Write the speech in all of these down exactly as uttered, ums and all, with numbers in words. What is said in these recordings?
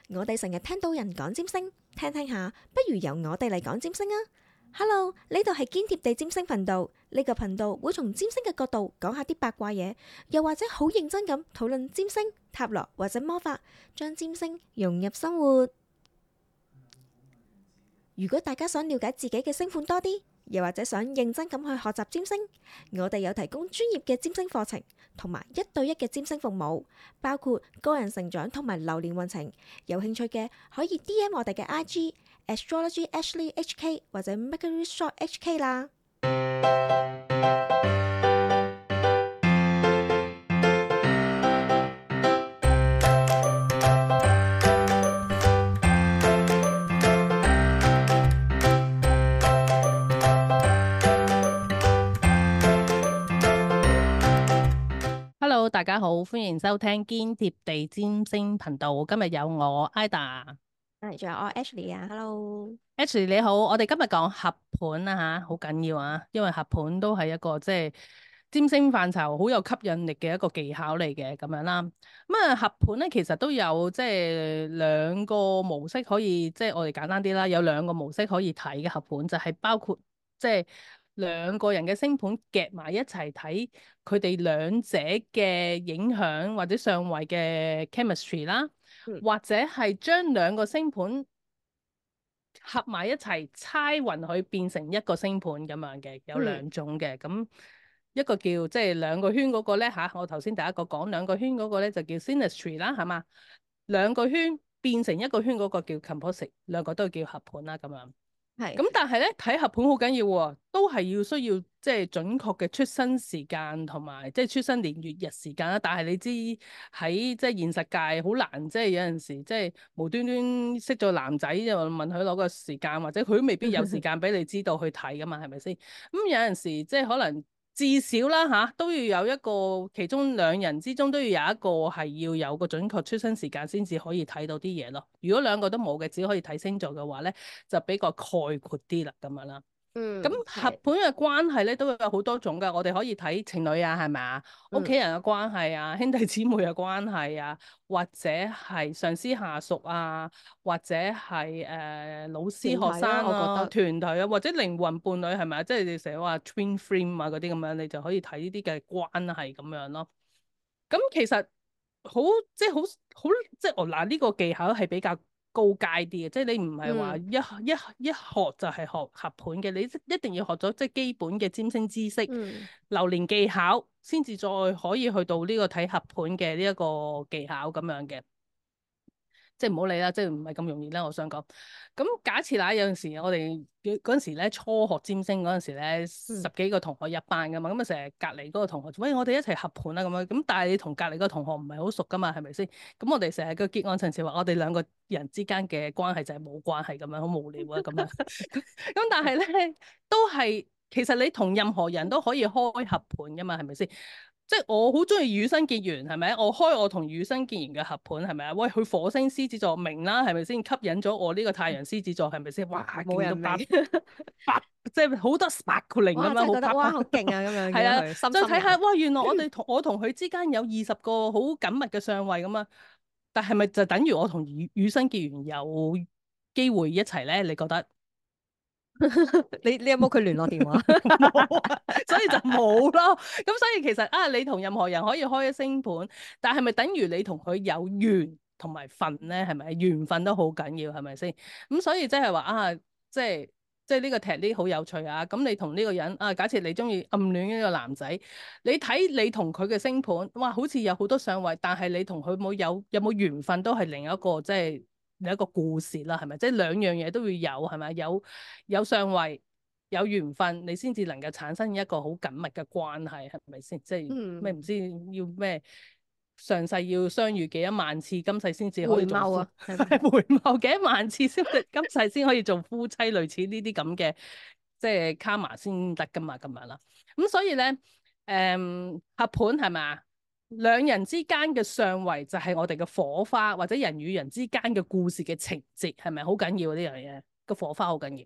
我哋成日聽到人講占星，聽聽下，不如由我哋嚟講占星啊！Hello，呢度係堅貼地占星頻道，呢個頻道會從占星嘅角度講下啲八卦嘢，又或者好認真咁討論占星、塔羅或者魔法，將占星融入生活。如果大家想了解自己嘅星盤多啲，又或者想認真咁去學習占星，我哋有提供專業嘅占星課程，同埋一對一嘅占星服務，包括個人成長同埋流年運程。有興趣嘅可以 D M 我哋嘅 I G Astrology Ashley H K 或者 Mercury Shop H K 啦。Hello，大家好，歡迎收聽堅貼地占星頻道。今日有我 Ida，係，仲有我 Ashley 啊，Hello，Ashley 你好。我哋今日講合盤啊吓，好緊要啊，因為合盤都係一個即係占星範疇好有吸引力嘅一個技巧嚟嘅咁樣啦。咁啊合盤咧，其實都有即係兩個模式可以，即係我哋簡單啲啦，有兩個模式可以睇嘅合盤，就係包括即係兩個人嘅星盤夾埋一齊睇，佢哋兩者嘅影響或者相位嘅 chemistry 啦，嗯或者係將兩個星盤合埋一齊猜勻佢變成一個星盤咁樣嘅，有兩種嘅。咁一個叫即係兩個圈嗰個咧嚇，我頭先第一個講兩個圈嗰個咧就叫 synastry 啦，係嘛？兩個圈變成一個圈嗰個叫 composite，兩個都叫合盤啦咁樣。係咁但係咧睇合盤好緊要喎，都係要需要即係準確嘅出生時間同埋即係出生年月日時間啦。但係你知喺即係現實界好難，即係有陣時即係無端端識咗男仔就問佢攞個時間，或者佢都未必有時間俾你知道去睇噶嘛，係咪先？咁有陣時即係可能至少啦嚇，都要有一個其中兩人之中都要有一個係要有個準確出生時間先至可以睇到啲嘢咯。如果兩個都冇嘅，只可以睇星座嘅話咧，就比較概括啲啦咁樣啦。咁嗯合盤嘅關係咧都有好多種㗎，我哋可以睇情侶啊，係咪啊？屋企人嘅關係啊，兄弟姊妹嘅關係啊，或者係上司下屬啊，或者係誒、呃、老師學生我覺啊，得團體啊，或者靈魂伴侶係咪啊？即係你成日話 twin flame 啊嗰啲咁樣，你就可以睇呢啲嘅關係咁樣咯。咁其實好即係好好即係我嗱呢個技巧係比較高階啲嘅，即係你唔係話嗯一一一學就係學合盤嘅，你一定要學咗即係基本嘅占星知識、嗯流年技巧，先至再可以去到呢個睇合盤嘅呢一個技巧咁樣嘅。即係唔好理啦，即係唔係咁容易啦。我想講，咁假設啦，有陣時我哋嗰陣時咧初學占星嗰陣時咧，十幾個同學一班噶嘛，咁啊成日隔離嗰個同學，喂，我哋一齊合盤啦咁樣。咁但係你同隔離嗰個同學唔係好熟噶嘛，係咪先？咁我哋成日個結案陳詞話，我哋兩個人之間嘅關係就係冇關係咁樣，好無聊啊咁樣。咁但係咧，都係其實你同任何人都可以開合盤噶嘛，係咪先？即係我好中意與生結緣，係咪？我開我同與生結緣嘅合盤，係咪啊？喂，佢火星獅子座明啦，係咪先？吸引咗我呢個太陽獅子座，係咪先？哇，冇人明勁到八八，即係好多 sparkling 咁樣，好哇真係覺得哇好啪啪。勁啊咁樣，係啊，見到佢深再睇下，深眼哇！原來我哋同我同佢之間有二十個好緊密嘅相位咁啊，但係咪就等於我同與與生結緣有機會一齊咧？你覺得？你你有冇佢聯絡電話？冇啊，所以就冇咯。咁所以其實啊，你同任何人可以開一星盤，但係咪等於你同佢有緣同埋份咧？係咪緣分都好緊要？係咪先？咁所以即係話啊，即係即係呢個踢呢好有趣啊！咁你同呢個人啊，假設你中意暗戀呢個男仔，你睇你同佢嘅星盤，哇，好似有好多相位，但係你同佢冇有有冇緣分都係另一個即係另一個故事啦，係咪？即係兩樣嘢都要有，係咪？有有相位。有緣分，你先至能夠產生一個好緊密嘅關係，係咪先？即係咩唔知要咩上世要相遇幾多萬次，今世先至可以做夫回眸啊，係回眸幾多萬次先，今世先可以做夫妻，類似呢啲咁嘅即係卡瑪先得噶嘛，咁樣啦。咁所以咧，誒、嗯、合盤係咪？兩人之間嘅相位就係我哋嘅火花，或者人與人之間嘅故事嘅情節，係咪好緊要呢樣嘢？個火花好緊要。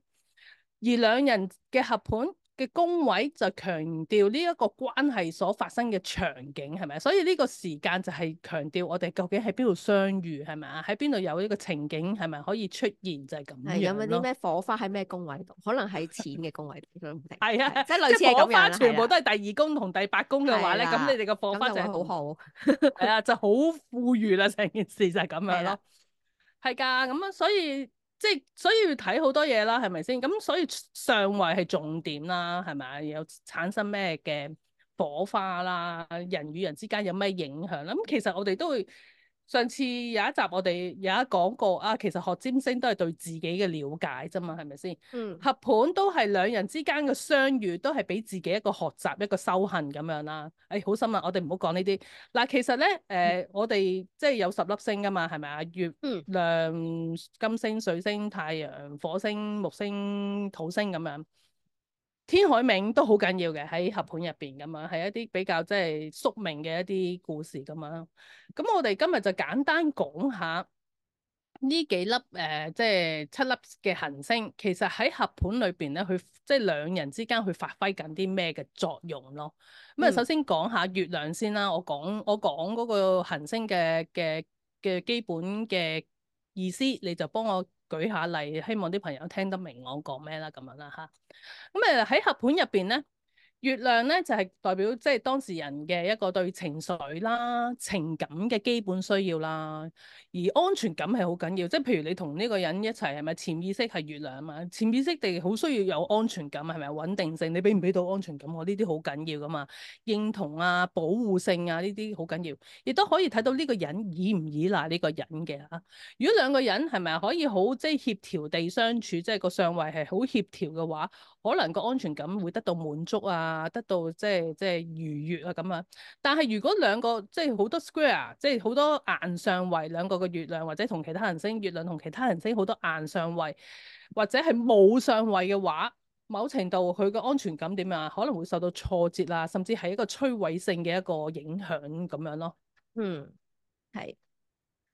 而兩人嘅合盤嘅宮位就強調呢一個關係所發生嘅場景係咪？所以呢個時間就係強調我哋究竟喺邊度相遇係咪啊？喺邊度有呢個情景係咪可以出現就係咁係有冇啲樣咯。咩火花喺咩宮位度？可能喺錢嘅宮位度都唔定。係啊，即係類似係火花咁樣啦。全部都係啦，係第二宮同第八宮嘅話咧，咁係啦你哋個火花咁就會就係同好好。係啊，就好富裕啦，成件事就係咁樣係啦咯。係㗎，咁啊，所以即係所以要睇好多嘢啦，係咪先？咁所以上位係重點啦，係咪啊？有產生咩嘅火花啦，人與人之間有咩影響啦？咁其實我哋都會上次有一集我哋有一講過啊，其實學占星都係對自己嘅了解啫嘛，係咪先？嗯合盤都係兩人之間嘅相遇，都係俾自己一個學習、一個修行咁樣啦。誒、哎，好深啊！我哋唔好講呢啲。嗱，其實咧，誒、呃，我哋即係有十粒星噶嘛，係咪啊？月嗯亮、金星、水星、太陽、火星、木星、土星咁樣。天海冥都好緊要嘅喺合盤入邊咁樣，係一啲比較即係宿命嘅一啲故事咁樣。咁我哋今日就簡單講下呢幾粒誒、呃，即係七粒嘅行星，其實喺合盤裏邊咧，佢即係兩人之間去發揮緊啲咩嘅作用咯。咁啊，嗯首先講下月亮先啦。我講我講嗰個行星嘅嘅嘅基本嘅意思，你就幫我舉下例，希望啲朋友聽得明我講咩啦，咁樣啦嚇。咁誒喺合盤入邊咧，月亮咧就係、是、代表即係當事人嘅一個對情緒啦、情感嘅基本需要啦，而安全感係好緊要。即係譬如你同呢個人一齊係咪潛意識係月亮啊嘛？潛意識地好需要有安全感，係咪穩定性？你俾唔俾到安全感？我呢啲好緊要噶嘛，認同啊、保護性啊呢啲好緊要，亦都可以睇到呢個人依唔依賴呢個人嘅嚇。如果兩個人係咪可以好即係協調地相處，即係個相位係好協調嘅話，可能個安全感會得到滿足啊，得到即係即係愉悅啊咁啊。但係如果兩個即係好多 square，即係好多硬相位，兩個嘅月亮或者同其他行星，月亮同其他行星好多硬相位，或者係冇相位嘅話，某程度佢嘅安全感點啊，可能會受到挫折啊，甚至係一個摧毀性嘅一個影響咁樣咯。嗯，係。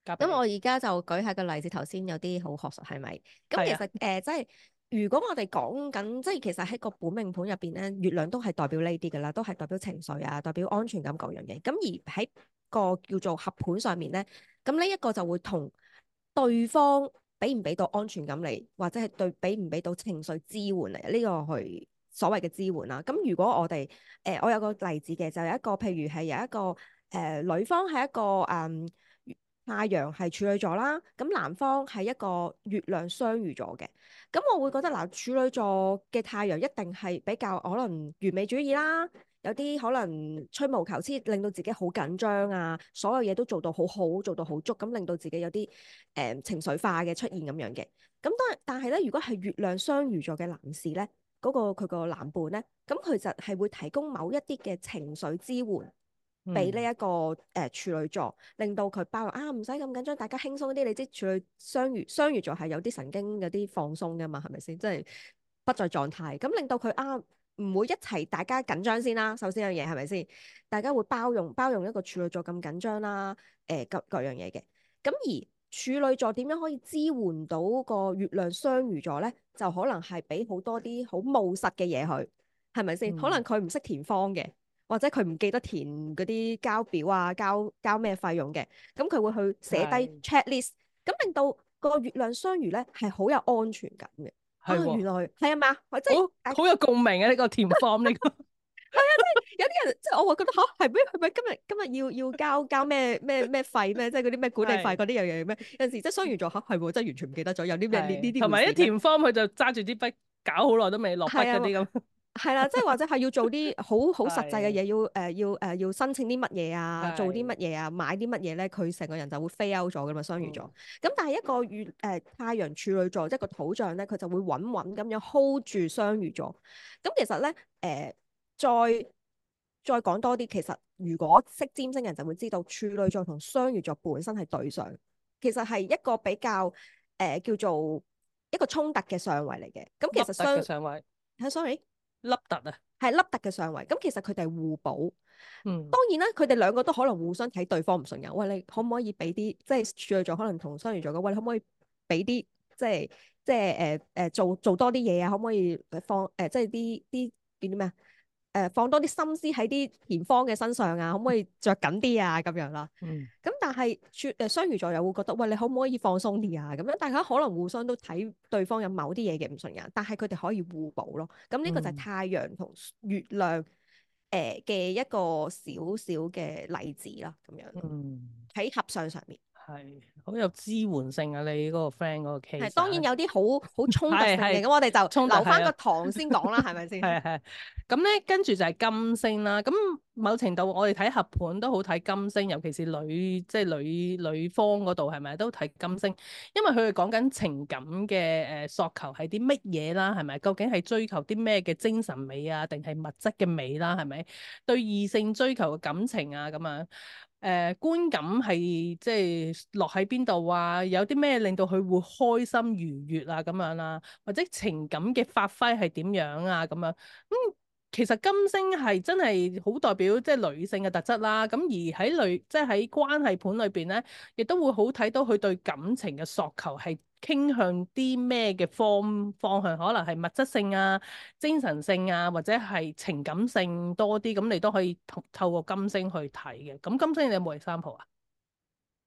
交俾你。咁我而家就舉下個例子，頭先有啲好學術係咪？咁其係啊，實誒、呃，即係如果我哋講緊，即係其實喺個本命盤入邊咧，月亮都係代表呢啲噶啦，都係代表情緒啊，代表安全感各樣嘢。咁而喺個叫做合盤上面咧，咁呢一個就會同對方俾唔俾到安全感嚟，或者係對俾唔俾到情緒支援嚟，呢、這個去所謂嘅支援啦。咁如果我哋誒、呃，我有個例子嘅，就有一個譬如係有一個誒、呃、女方係一個誒。嗯太陽係處女座啦，咁男方係一個月亮雙魚座嘅，咁我會覺得嗱，處女座嘅太陽一定係比較可能完美主義啦，有啲可能吹毛求疵，令到自己好緊張啊，所有嘢都做到好好，做到好足，咁令到自己有啲誒、呃、情緒化嘅出現咁樣嘅。咁當但係咧，如果係月亮雙魚座嘅男士咧，嗰、個佢個男伴咧，咁佢就係會提供某一啲嘅情緒支援。俾呢一個誒、呃、處女座，令到佢包容啊，唔使咁緊張，大家輕鬆啲。你知處女雙魚雙魚座係有啲神經有啲放鬆噶嘛，係咪先？即係不在狀態，咁令到佢啊唔會一齊大家緊張先啦。首先有樣嘢係咪先？大家會包容包容一個處女座咁緊張啦，誒、呃、各各樣嘢嘅。咁而處女座點樣可以支援到個月亮雙魚座咧？就可能係俾好多啲好務實嘅嘢佢，係咪先？嗯可能佢唔識填方嘅。或者佢唔記得填嗰啲交表啊，交交咩費用嘅，咁佢會去寫低係 checklist，咁令到個月亮雙魚咧係好有安全感嘅。啊，係喎，原來係啊嘛，即係好好有共鳴啊！呢個填 form 呢個有啲人即係我會覺得吓係咩？係咪今日今日要要交交咩咩咩費咩？即係嗰啲咩管理費係嗰啲樣嘢咩？有陣時即係雙魚座吓係喎，真係完全唔記得咗有啲咩呢呢係，啲同埋一回事咩？填 form 佢就揸住啲筆搞好耐都未落筆係啊。嗰啲咁。係啦，即係或者係要做啲好好實際嘅係嘢，要誒、呃、要誒、呃、要申請啲乜嘢啊，做啲乜係嘢啊，買啲乜嘢咧，佢成個人就會 fail out 咗噶嘛，雙魚座。嗯咁但係一個月誒、呃、太陽處女座，即係個土象咧，佢就會穩穩咁樣 hold 住雙魚座。咁其實咧誒、呃、再再講多啲，其實如果識占星人就會知道，處女座同雙魚座本身係對上，其實係一個比較誒、呃、叫做一個衝突嘅相位嚟嘅。咁其凹凸嘅實雙上位，係 sorry。凹凸啊，係凹凸嘅相位，咁其實佢哋係互補。嗯當然啦，佢哋兩個都可能互相睇對方唔順眼。喂，你可唔可以俾啲即係處女座可能同雙魚座嘅？喂，你可唔可以俾啲即係即係誒誒做做多啲嘢啊？可唔可以放誒、呃、即係啲啲叫啲咩啊？誒、放多啲心思喺啲田方嘅身上啊，可唔可以着緊啲啊？咁樣啦。嗯咁但係處誒雙魚座又會覺得，喂，你可唔可以放鬆啲啊？咁樣大家可能互相都睇對方有某啲嘢嘅唔順眼，但係佢哋可以互補咯。咁呢個就係嗯太陽同月亮誒嘅一個小小嘅例子啦，咁樣嗯，喺合相上面。係好有支援性啊！你嗰個 friend 嗰個 case 係當然有啲好好衝突性嘅，係係咁我哋就衝突留翻個係啊堂先講啦，係咪先？係係，咁咧跟住就係金星啦。咁某程度我哋睇合盤都好睇金星，尤其是女即係女女方嗰度係咪都睇金星？因為佢哋講緊情感嘅誒訴求係啲乜嘢啦，係咪？究竟係追求啲咩嘅精神美啊，定係物質嘅美啦？係咪？對異性追求嘅感情啊咁樣。誒、呃、觀感係即係落喺邊度啊？有啲咩令到佢會開心愉悅啊咁樣啦、啊，或者情感嘅發揮係點樣啊咁樣？咁、嗯、其實金星係真係好代表即係女性嘅特質啦。咁而喺女即係喺關係盤裏邊咧，亦都會好睇到佢對感情嘅訴求係傾向啲咩嘅方方向，可能係物質性啊、精神性啊，或者係情感性多啲，咁你都可以透透過金星去睇嘅。咁金星你有冇 example 啊？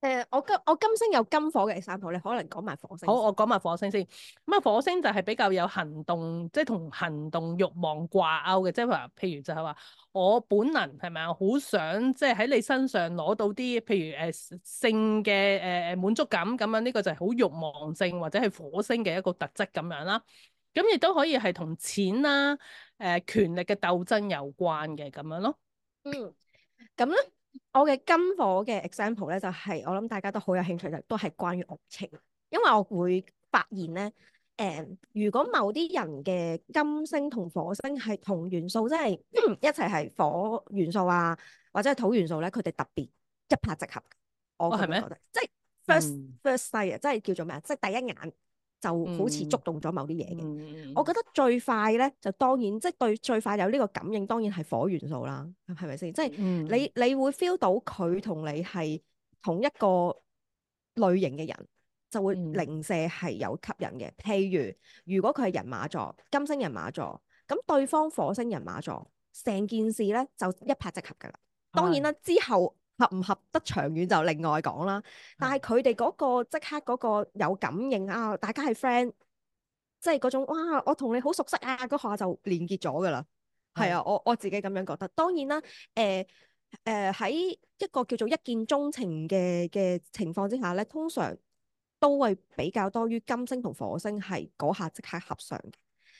誒，我金我金星有金火嘅 example，你可能講埋火星好，先。我講埋火星先。咁啊，火星就係比較有行動，即係同行動慾望掛鈎嘅，即係話，譬如就係話我本能係咪啊，好想即係喺你身上攞到啲，譬如誒、呃、性嘅誒誒滿足感咁樣，呢個就係好慾望性或者係火星嘅一個特質咁樣啦。咁亦都可以係同錢啦、誒、呃、權力嘅鬥爭有關嘅咁樣咯。嗯，咁咧，我嘅金火嘅 example 咧，就係、我諗大家都好有興趣，就都係關於愛情，因為我會發現咧，誒、如果某啲人嘅金星同火星係同元素，即係一齊係火元素啊，或者係土元素咧，佢哋特別一拍即合。我哦，係咩？咁樣覺得，即係 first 嗯 first sight 啊，即係叫做咩啊？即係第一眼就好似觸嗯動咗某啲嘢嘅。嗯我覺得最快咧，就當然即係對最快有呢個感應，當然係火元素啦，係咪先？即係嗯你你會 feel 到佢同你係同一個類型嘅人，就會嗯零舍係有吸引嘅。譬如如果佢係人馬座，金星人馬座，咁對方火星人馬座，成件事咧就一拍即合噶啦。當然啦，之後合唔合得長遠就另外講啦。但係佢哋嗰個即刻嗰個有感應啊，大家係 friend。即係嗰種哇，我同你好熟悉啊，嗰下就連結咗噶啦。係啊，我我自己咁樣覺得。當然啦，誒誒喺一個叫做一見鍾情嘅嘅情況之下咧，通常都會比較多於金星同火星係嗰下即刻合上嘅。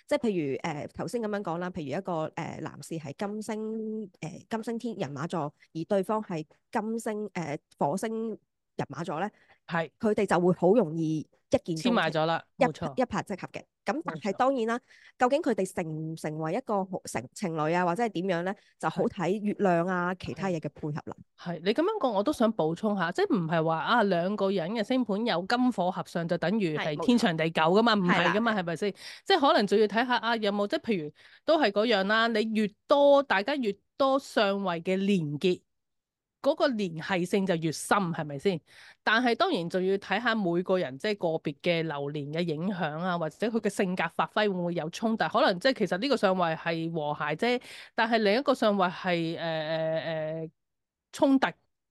即係譬如誒頭先咁樣講啦，譬如一個誒、呃、男士係金星誒、呃、金星天人馬座，而對方係金星誒、呃、火星人馬座咧，係佢哋就會好容易一見鍾黐埋情。咗啦，一冇錯。一拍即合嘅，咁但係冇錯當然啦，究竟佢哋成唔成為一個好成情侶啊，或者係點樣咧，就好睇月亮啊，其他嘢嘅配合啦。係你咁樣講，我都想補充下，即係唔係話啊兩個人嘅星盤有金火合相就等於係係冇錯天長地久噶嘛？唔係啦係噶嘛？係咪先？即係可能仲要睇下啊有冇即係譬如都係嗰樣啦。你越多大家越多相位嘅連結，嗰個聯繫性就越深，係咪先？但係當然仲要睇下每個人即係個別嘅流年嘅影響啊，或者佢嘅性格發揮會唔會有衝突？可能即係其實呢個相位係和諧啫，但係另一個相位係誒誒誒衝突，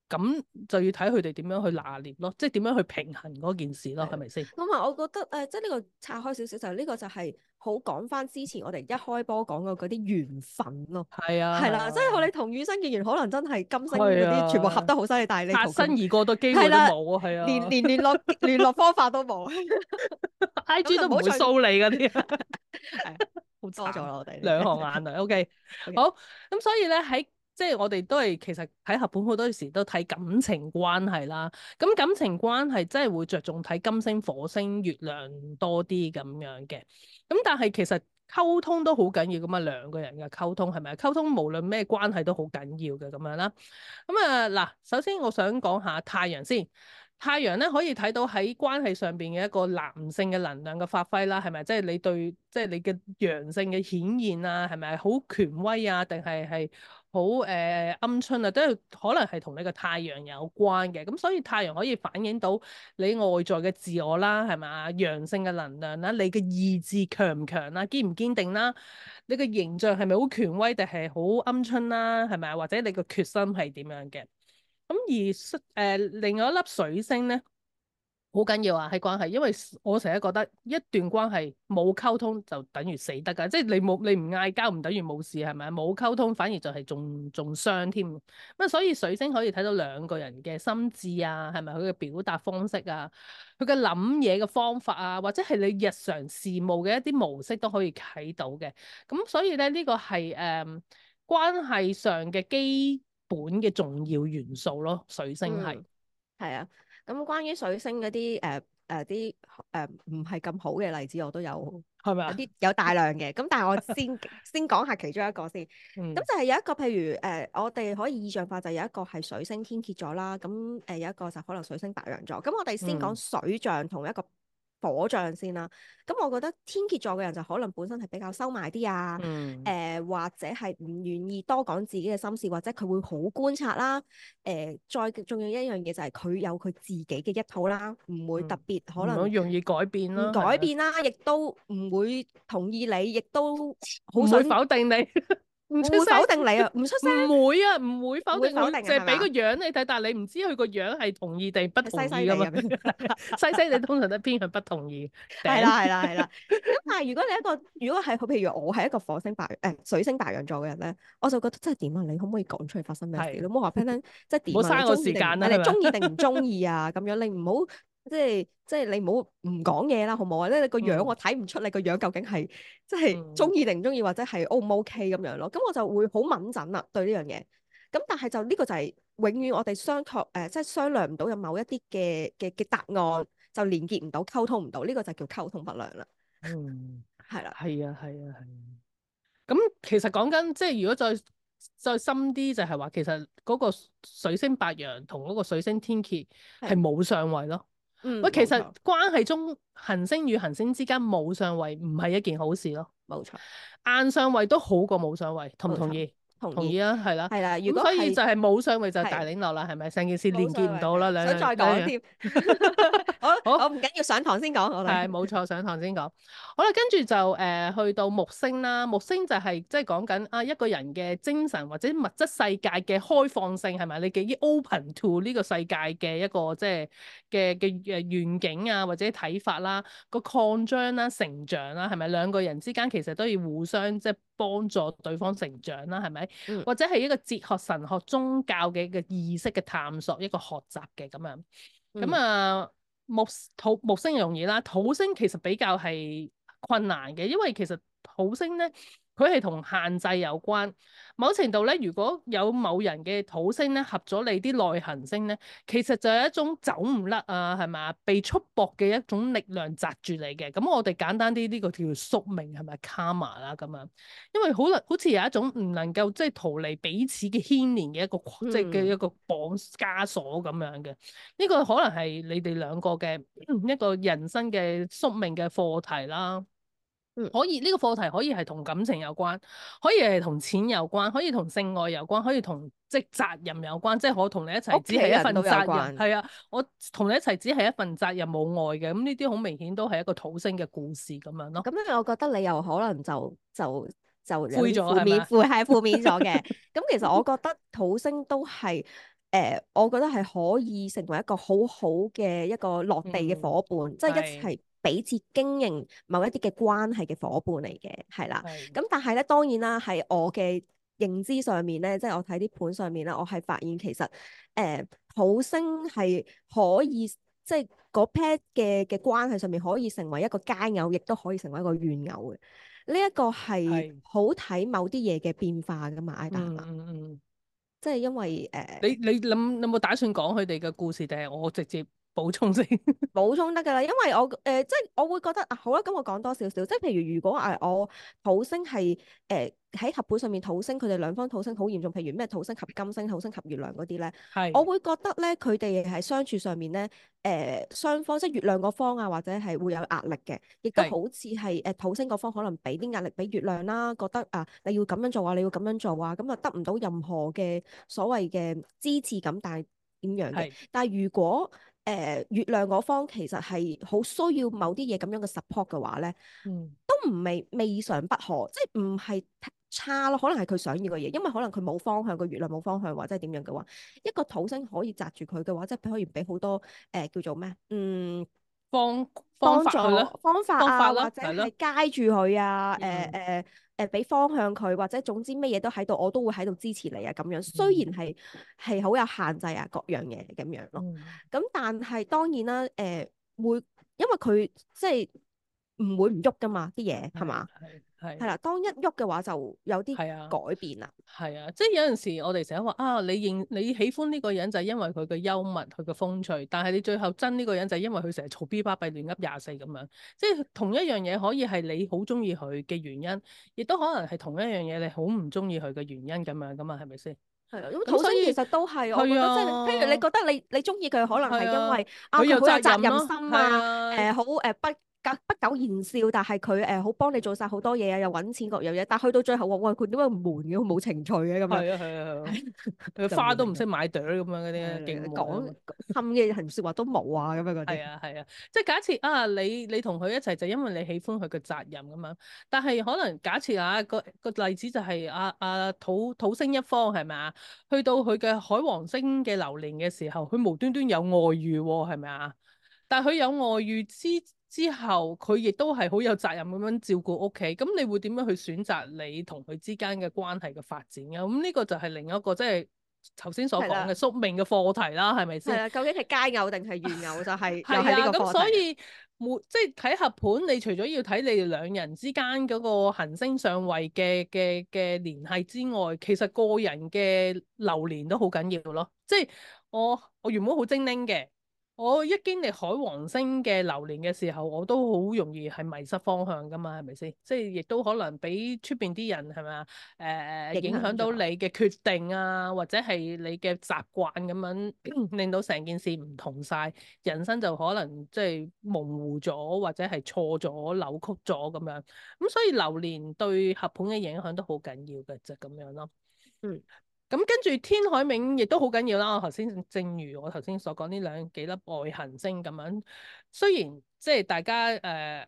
咁就要睇佢哋點樣去拿捏咯，即係點樣去平衡嗰件事咯，係咪先？咁啊，我覺得誒、呃，即係呢個拆開少少，就呢個就係好講翻之前我哋一開波講嘅嗰啲緣分咯。係啊，係啦，即係我哋同與生結緣，可能真係金星嗰係啊啲全部合得好犀利，但係你擦同佢身而過嘅機會都係啦冇啊，係啊，連連聯絡聯絡方法都冇。 I G 都唔會掃你嗰啲，係好多咗慘啦我哋兩行眼淚。O K， 好，咁所以咧喺即係我哋都係其實睇合盤好多時都睇感情關係啦。咁感情關係真係會着重睇金星、火星、月亮多啲咁樣嘅。咁但係其實溝通都好緊要噶嘛，兩個人嘅溝通係咪？溝通無論咩關係都好緊要嘅咁樣啦。咁啊嗱，首先我想講下太陽先。太陽咧可以睇到喺關係上邊嘅一個男性嘅能量嘅發揮啦，係咪？即係你對，即係你嘅陽性嘅顯現啊，係咪好權威啊？定係係好誒鵪鶉啊？都係可能係同你個太陽有關嘅。咁所以太陽可以反映到你外在嘅自我啦，係咪啊？陽性嘅能量啦，你嘅意志強唔強啦，堅唔堅定啦？你個形象係咪好權威定係好鵪鶉啦？係咪啊？或者你個決心係點樣嘅？咁而誒、呃、另外一粒水星咧，好緊要啊喺關係，因為我成日覺得一段關係冇溝通就等於死得㗎，即係你冇你唔嗌交唔等於冇事係咪？冇溝通反而就係仲仲傷添。咁啊，所以水星可以睇到兩個人嘅心智啊，係咪佢嘅表達方式啊，佢嘅諗嘢嘅方法啊，或者係你日常事務嘅一啲模式都可以睇到嘅。咁所以咧呢、呢個係誒、呃、關係上嘅基本嘅重要元素咯，水星係。係啊，咁關於水星嗰啲誒誒啲誒唔係咁好嘅例子，我都有係咪啊？有啲有大量嘅，咁但係我先先講下其中一個先。咁、嗯、就係有一個譬如誒、呃，我哋可以意象化就有一個係水星天蠍座啦，咁誒、呃、有一個就可能水星白羊座。咁我哋先講水象同一個火象先啦，咁我覺得天蠍座嘅人就可能本身係比較收埋啲啊，誒、嗯呃、或者係唔願意多講自己嘅心事，或者佢會好觀察啦，誒、呃、再重要一樣嘢就係佢有佢自己嘅一套啦，唔會特別可能唔好容易改變啦，唔改變啦，亦都唔會同意你，亦都唔好想會否定你。唔出會聲否定你啊，唔出聲，唔會啊，唔會否定，唔會否定啊淨係俾個係嘛樣你睇，但係你唔知佢個樣係同意定不同意噶嘛？西西地西西你通常都偏向不同意。係啦係啦係啦，咁但係如果你一個如果係譬如我係一個火星白誒、呃、水星白羊座嘅人咧，我就覺得真係點啊？你可唔可以講出嚟發生咩事？係你唔好話俾人聽，即係點啊？唔好嘥我你中意定時間啦，你係咪？中意定唔中意啊？咁樣你唔好即係即係你唔好唔講嘢啦，好唔好啊？咧你個樣嗯我睇唔出你個樣究竟係即係嗯中意定唔中意，或者係 O 唔 OK 咁樣咯。咁我就會好敏感啦對呢樣嘢。咁但係就呢個就係永遠我哋商確誒，即係商量唔到有某一啲嘅嘅嘅答案，就連結唔到、溝通唔到，呢個就叫溝通不良啦。嗯，係啦，係啊，係啊，係啊。咁其實講緊即係如果再再深啲，就係話其實嗰個水星白羊同嗰個水星天蠍係冇相位咯。嗯，喂，其實冇錯關係中行星與行星之間冇相位唔係一件好事咯。冇錯，硬相位都好過冇相位，同唔同意？同意同意啊，係啦。係啦。如咁果係所以就係冇相位就係係大領落啦，係咪？成件事連冇結唔到啦，兩想再講樣添。好，好我唔緊要上堂先講，我哋係冇錯，上堂先講。好啦，跟住就誒、呃、去到木星啦。木星就係即係講緊啊一個人嘅精神或者物質世界嘅開放性係咪？你幾 open to 呢個世界嘅一個即係嘅嘅誒願景啊，或者睇法啦，個擴張啦、成長啦，係咪兩個人之間其實都要互相即係幫助對方成長啦，係咪？嗯或者係一個哲學、神學、宗教嘅一個意識嘅探索，一個學習嘅咁樣。咁、嗯啊木土木星容易啦，土星其實比較係困難嘅，因為其實土星咧佢係同限制有關。某程度咧，如果有某人嘅土星咧合咗你啲內行星咧，其實就係一種走唔甩啊，係咪啊？被束縛嘅一種力量擲住你嘅。咁我哋簡單啲呢個叫宿命係咪 karma 啦咁樣？因為好能好似有一種唔能夠即係逃離彼此嘅牽連嘅一個、嗯、即係嘅一個綁枷鎖咁樣嘅。呢個可能係你哋兩個嘅一個人生嘅宿命嘅課題啦。嗯、可以呢、這個課題可以係同感情有關，可以係同錢有關，可以同性愛有關，可以同即係責任有關。即係我同你一齊只係一份責任，係啊，我同你一齊只係一份責任冇愛嘅。咁呢啲好明顯都係一個土星嘅故事咁樣咯。咁樣我覺得你又可能就就就灰咗負面負係負面咗嘅。咁其實我覺得土星都係誒、呃，我覺得係可以成為一個好好嘅一個落地嘅伙伴，即係、嗯、一齊彼此經營某一啲嘅關係嘅伙伴嚟嘅，係啦。咁但係咧，當然啦，喺我嘅認知上面咧，即係我睇啲盤上面咧，我係發現其實誒、呃、土星係可以即係嗰 pair 嘅嘅關係上面可以成為一個佳偶，亦都可以成為一個怨偶嘅。呢、這、一個係好睇某啲嘢嘅變化噶嘛，Ida 係嘛？嗯嗯，即係因為誒，呃、你你諗有冇打算講佢哋嘅故事，定係我直接補充先？補充得㗎啦，因為我誒、呃、即係我會覺得啊，好啦，咁我講多少少，即係譬如如果誒、呃、我土星係誒喺合盤上面土星，佢哋兩方土星好嚴重，譬如咩土星及金星、土星及月亮嗰啲咧，係我會覺得咧佢哋係相處上面咧誒雙方即係月亮嗰方啊，或者係會有壓力嘅，亦都係好似係誒土星嗰方可能俾啲壓力俾月亮啦，覺得啊你要咁樣做啊，你要咁樣做啊，咁啊得唔到任何嘅所謂嘅支持感，但係點樣嘅？係但係如果誒、呃、月亮嗰方其實係好需要某啲嘢咁樣嘅 support 嘅話咧，嗯都唔未未嘗不可，即係唔係差咯，可能係佢想要嘅嘢，因為可能佢冇方向，個月亮冇方向或者係點樣嘅話，一個土星可以擲住佢嘅話，即係可以俾好多誒、呃、叫做咩嗯方方幫助法去啦，方法方法啊，或者啦係咯係街住佢啊，誒嗯誒誒俾方向佢，或者總之乜嘢都喺度，我都會喺度支持你啊咁樣。雖然係係好有限制啊，各樣嘢咁樣咯。嗯咁但係當然啦，誒、呃、會因為佢即係唔會唔喐噶嘛，啲嘢係嘛？係係係啦，當一喐嘅話就有啲係啊。改變啦。係啊，即係有陣時我哋成日話啊，你認你喜歡呢個人就係因為佢嘅幽默、佢嘅風趣，但係你最後憎呢個人就係因為佢成日嘈 B 巴閉亂噏廿四咁樣，即係同一樣嘢可以係你好中意佢嘅原因，亦都可能係同一樣嘢你好唔中意佢嘅原因咁樣噶嘛，係咪先？係啦，咁土咁所以星其實都係，我覺係得即係，啊，譬如你覺得你你中意佢，可能係係啊，因為啊佢有佢好有責任責任咯，係心啊，啊，誒好誒不不不苟言笑，但係佢誒好幫你做晒好多嘢啊，又揾錢各樣嘢，但係去到最後話喂佢點解咁悶嘅，冇情趣嘅咁樣，係啊，係啊，係啊，佢就花都唔悶嘅識買朵咁樣嗰啲，係勁悶講啊！氹嘅人説話都冇啊咁樣嗰啲。係啊係啊，即係假設啊，你你同佢一齊就因為你喜歡佢嘅責任咁樣，但係可能假設啊個個例子就係啊啊土土星一方係咪啊？去到佢嘅海王星嘅流年嘅時候，佢無端端有外遇喎，係咪啊？但係佢有外遇之之後，佢亦都係好有責任咁樣照顧屋企。咁你會點樣去選擇你同佢之間嘅關係嘅發展啊？咁呢個就係另一個即係頭先所講係啦嘅宿命嘅課題啦，係咪先？係啦，究竟係佳偶定係怨偶就係又係啊，係呢個咁課題。所以每即係睇合盤，你除咗要睇你哋兩人之間嗰個行星上位嘅嘅嘅聯繫之外，其實個人嘅流年都好緊要咯。即係我我原本好精靈嘅。我一經歷海王星嘅流年嘅時候，我都好容易係迷失方向噶嘛，係咪先？即係亦都可能俾出邊啲人係咪啊？誒、呃、影響到你嘅決定啊，或者係你嘅習慣咁樣，令到成件事唔同晒，人生就可能即係模糊咗，或者係錯咗、扭曲咗咁樣。咁所以流年對合盤嘅影響都好緊要嘅，就咁樣咯。嗯。咁跟住天海冥亦都好緊要啦。我頭先正如我頭先所講呢兩幾粒外行星咁樣，雖然即係大家誒喺、呃、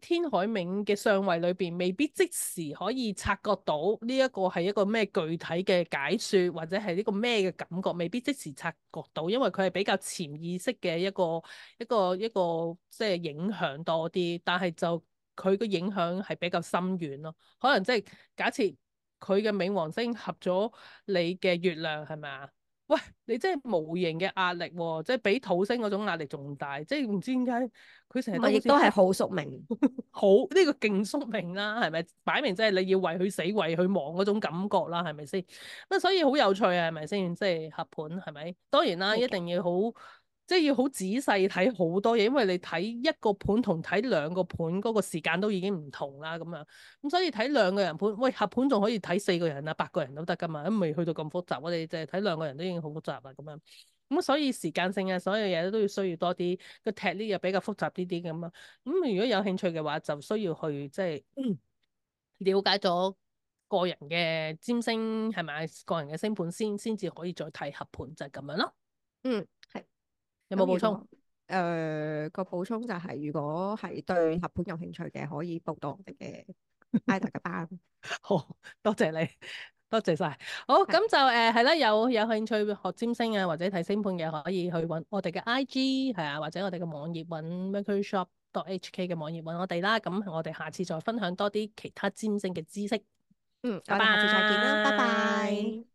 天海冥嘅相位裏邊，未必即時可以察覺到呢一個係一個咩具體嘅解説，或者係呢個咩嘅感覺，未必即時察覺到，因為佢係比較潛意識嘅一個一個一個即係影響多啲，但係就佢嘅影響係比較深遠咯。可能即係假設。佢嘅冥王星合咗你嘅月亮係咪啊？喂，你真係無形嘅壓力喎、哦，即係比土星嗰種壓力仲大，即係唔知點解佢成日都好似咪亦都係好宿命。好呢、呢個勁宿命啦，係咪？擺明即係你要為佢死為佢亡嗰種感覺啦，係咪先？咁所以好有趣啊，係咪先？即係合盤係咪？當然啦，冇錯一定要好。即係要好仔細睇好多嘢，因為你睇一個盤同睇兩個盤嗰個時間都已經唔同啦，咁樣咁所以睇兩個人盤，喂合盤仲可以睇四個人啊、八個人都得噶嘛，都未去到咁複雜。我哋淨係睇兩個人都已經好複雜啦，咁樣咁所以時間性啊，所有嘢都要需要多啲個踢呢又比較複雜啲啲咁啊。咁如果有興趣嘅話，就需要去即係、嗯、了解咗個人嘅占星係咪個人嘅星盤先，先至可以再睇合盤，就係、是、咁樣咯。嗯，係。有冇補充？誒、呃、個補充就係、是，如果係對合盤有興趣嘅，可以報到我哋嘅 IDA 嘅班。好多謝你，多謝晒。好，咁就誒係啦，有有興趣學占星啊，或者睇星盤嘅，可以去揾我哋嘅 I G 係啊，或者我哋嘅網頁揾 Mercury Shop dot H K 嘅網頁揾我哋啦。咁我哋下次再分享多啲其他占星嘅知識。嗯，拜我哋下次再見啦，拜拜。拜。